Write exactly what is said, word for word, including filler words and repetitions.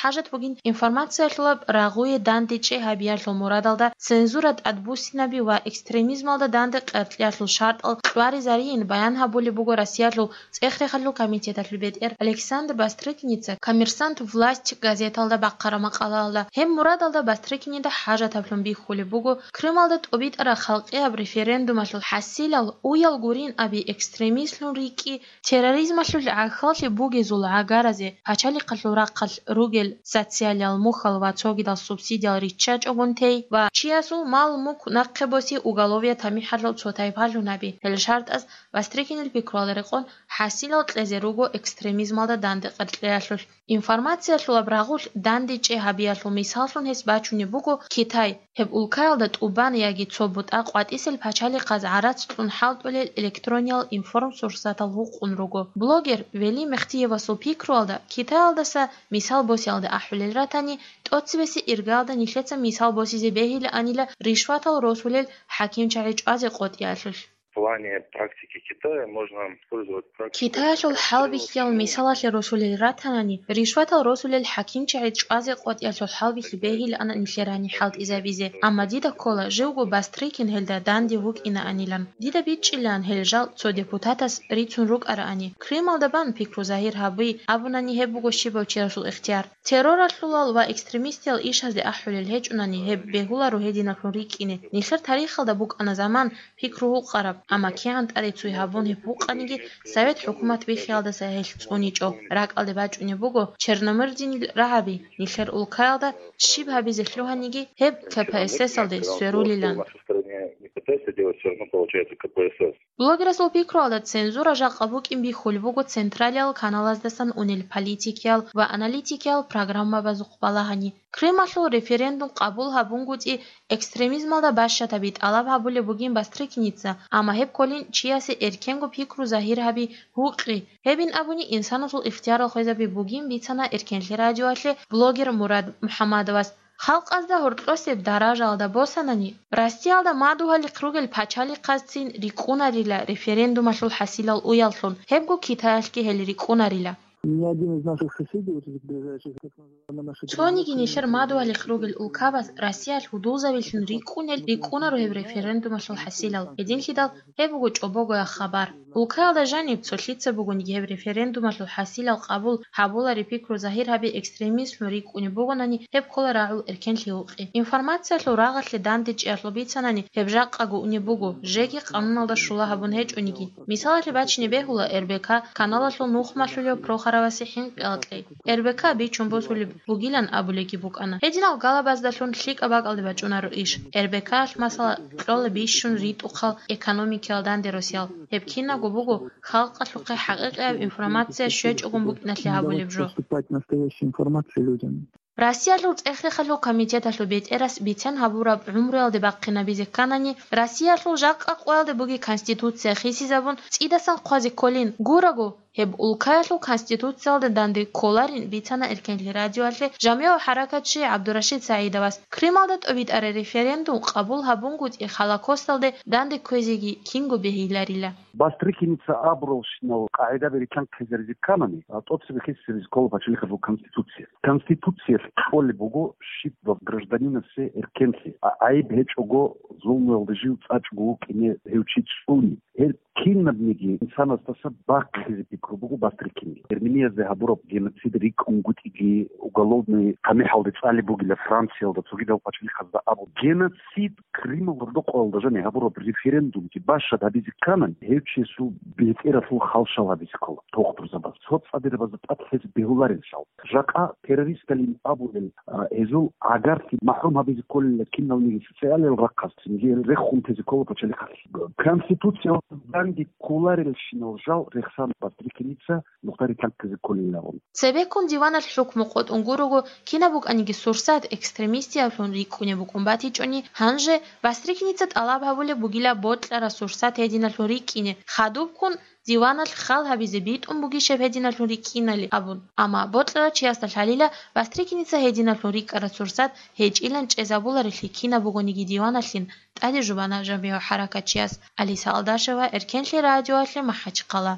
хӀажат бугин информациялъулаб рагъуе дандечӀей гьабиялъул мурадалда цензура тӀадбуссинаби ва экстремизмалда данде къеркьеялъул шартӀал кьваризарийин баян гьабулеб буго Россиялъул ЦӀехрехалъул комитеталъул бетӀер Александр Бастрыкиница «Коммерсант. Власть» газеталда бахъараб макъалаялда. Гьеб мурадалда Бастрыкинида хӀажатаблъун бихьулеб буго Крымалда тӀобитӀараб халкъияб референдумалъул хӀасилал уял гурин аби экстремистлъун рикӀкӀи, терроризмалъул гӀахьаллъи бугезул гӀагаразе пачалихъалъул рахъалъ ругел социалиял мухьал ва цогидал субсидиял риччачӀогун тей ва чиясул мал-мулк нахъе боси уголовият тамихӀалъул цо тайпалъун гьаби. Гьел шартӀаз Бастрыкинил пикруялда рекъон хӀасилал кьезе руго экстремизмалда данде къеркьеялъулъ. Информациялъулаб рагъулъ дандечӀей гьабиялъул мисаллъун гьес бачунеб буго Китай. Гьеб улкаялда тӀубан яги цо бутӀа къватӀисел пачалихъаз гӀарац кьун хӀалтӀулел электрониял информсурсатал гьукъун руго. Блогер Вели Мехтиевасул пикруялда, Китаялдаса мисал босиялде ахӀулел ратани, тӀоцебесеб иргаялда нилъеца мисал босизе бегьилаанила ришватал росулел хӀакимчагӀи чӀвазе къотӀиялъулъ. В плане практики Китая можно использовать практику Китаялъул хӀалбихьиял мисалалъе росулел ратанани, ришватал росулел хӀакимчагӀи чӀвазе къотӀиялъул хӀалбихьи бегьилаан нилъер гьаниб хӀалтӀизабизе. Амма дида ккола живго Бастрыкин гьелда данде вукӀинаанилан. Дида бичӀчӀилаан гьел жал цо депутатас рицун рукӀараани. Крымалда бан пикру загьир гьаби абунани гьеб буго щибав чиясул ихтияр. Терроралъулал ва экстремистиял ишазде ахӀулел гьечӀунани гьеб бегьуларо гьединаблъун рикӀкӀине. Нилъер тарихалда букӀана заман пикру гьукъараб, амма кигӀан тӀаде цуй гьабун гьеб гьукъаниги, Совет хӀукумат биххиялдаса гьелъ цӀуничӀо. РакӀалде бачӀунеб буго Черномырдинил рагӀаби, нилъер улкаялда щиб гьабизе лъугьаниги гьеб К П С С-алде сверулилан. Блогерасул пикруялда цензура жакъа букӀин бихьулеб буго централиял каналаздасан унел политикиял ва аналитикиял программабазухъ балагьани. Крымалъул референдум къабул гьабунгутӀи экстремизмалда бащатаби тӀалаб гьабулеб бугин Бастрыкиница, амма гьеб кколин чиясе эркенго пикру загьир гьаби гьукъи. Гьебин абуни, инсанасул ихтиярал хвезаби бугин бицана Эркенлъи радиоялъе блогер Мурад МухӀаммадовас. Халкъазда гьоркьосеб даражаялда босанани, Россиялда мадугьалихъ ругел пачалихъазцин рикӀкӀунарила референдумалъул хӀасилал уяллъун, гьебго Китаялъги гьел рикӀкӀунарила. Ни один из наших соседей, вот этих ближайших, так называемые наши Цониги нилъер мадугьалихъ ругел улкабаз Россиялъ гьудулзавилъун рикӀкӀунел рикӀкӀунаро гьеб референдумалъул хӀасилал. Гьединлъидал гьеб буго чӀобогоял хабар. Улкаялда жаниб цо лъица бугониги гьеб референдумалъул хӀасилал къабул гьабулари пикру загьир гьаби экстремизмлъун рикӀкӀунеб бугонани, гьеб ккола рагӀул эркенлъи гьукъи. Информациялъул рагъалъе дандечӀеялъул бицанани гьеб жакъаго унеб буго, жеги къануналда щула гьабун гьечӀониги. Мисалалъе бачине бегьула Р Б К каналалъул нухмалъулев Прохоровасе хӀинкъи акьей. Р Б К бичун босулеб бугилан абулеги букӀана. Гьединал галабаздалъун лъикӀаб бакӀалде бачӀунаро иш. Р Б К-алъ, масала, кьола бищун ритӀухъал экономикиял данде росиал. Гьеб кинабго буго халкъалъухъе хӀакъикъияб информация щвечӀогун букӀиналъе гьабулеб жо. Поступать настоящая информация людям. Россиялъул ЦӀехрехалъул комитеталъул бетӀерас бицен гьабураб гӀумруялде бахъинабизе кканани, Россиялъул жакъа къоялде буги Конституция хисизабун, цӀидасан хъвазе кколин. Гураго, гьеб улкаялъул Конституциялда данде кколарин бицана Эркенлъи радиоялъе жамигӀ хӀаракатчи ГӀабдурашид СагӀидовас. Крымалда тӀобитӀараб референдум къабул гьабунгутӀи Холокосталде данде кквезеги кинго бегьиларила. Бастрыкиница абуралщинал къагӀидаби рилълъанхъизаризе кканани, а, тӀоцебе хисизаризе ккола пачалихъалъул Конституция. Конституциялъ кьолеб буго щиб гражданинасе эркенлъи, а, гӀайиб гьечӀого зулмуялда жив цӀачӀого вукӀине гьев чи цӀуни. Гьел кинабниги инсанасдаса бахъизе пикру буго Бастрыкинил. Эрмениязде гьабураб геноцид рикӀкӀунгутӀиги, уголовный тамихӀалде цӀалеб бугила Франциялда, цогидал пачалихъазда абу. Геноцид Крымалда рокъоялда жани гьабураб референдумги бащад гьабизе кканани, гьев чиясул бетӀералъул халшал гьабизе ккола тухтурзабаз. Цо цӀадирабазда тӀад лъезе бегьуларелъул. Жакъа террористалин абулел, а, гьезул гӀагарлъи махӀрум гьабизе кколила киналниги социалиял рахъалъ, цинги гьел рехун тезе ккола пачалихъалъ. Конституциялда данде кколарелщинал жал рехсан Бастрыкиница нухда рилълъанхъизе кколиларо. Цебеккун диваналъ хӀукму къотӀун гурого, кинаб букӀаниги сурсат экстремистиялъун рикӀкӀунеб букӀун батичӀони, гьанже Бастрыкиница тӀалаб гьабулеб бугила бокьараб сурсат гьединалъун рикӀкӀине, хадубккун диваналъ хал гьабизе битӀун бугищеб гьединалъун рикӀкӀинали абун. Амма бокьарав чиясда лъалила Бастрыкиница гьединалъун рикӀкӀараб сурсат гьечӀилан чӀезабуларелъи кинаб бугониги диваналъин тӀаде жубана жамигӀ хӀаракатчияс. Алиса Алдашева, Эркенлъи радиоялъе, МахӀачхъала.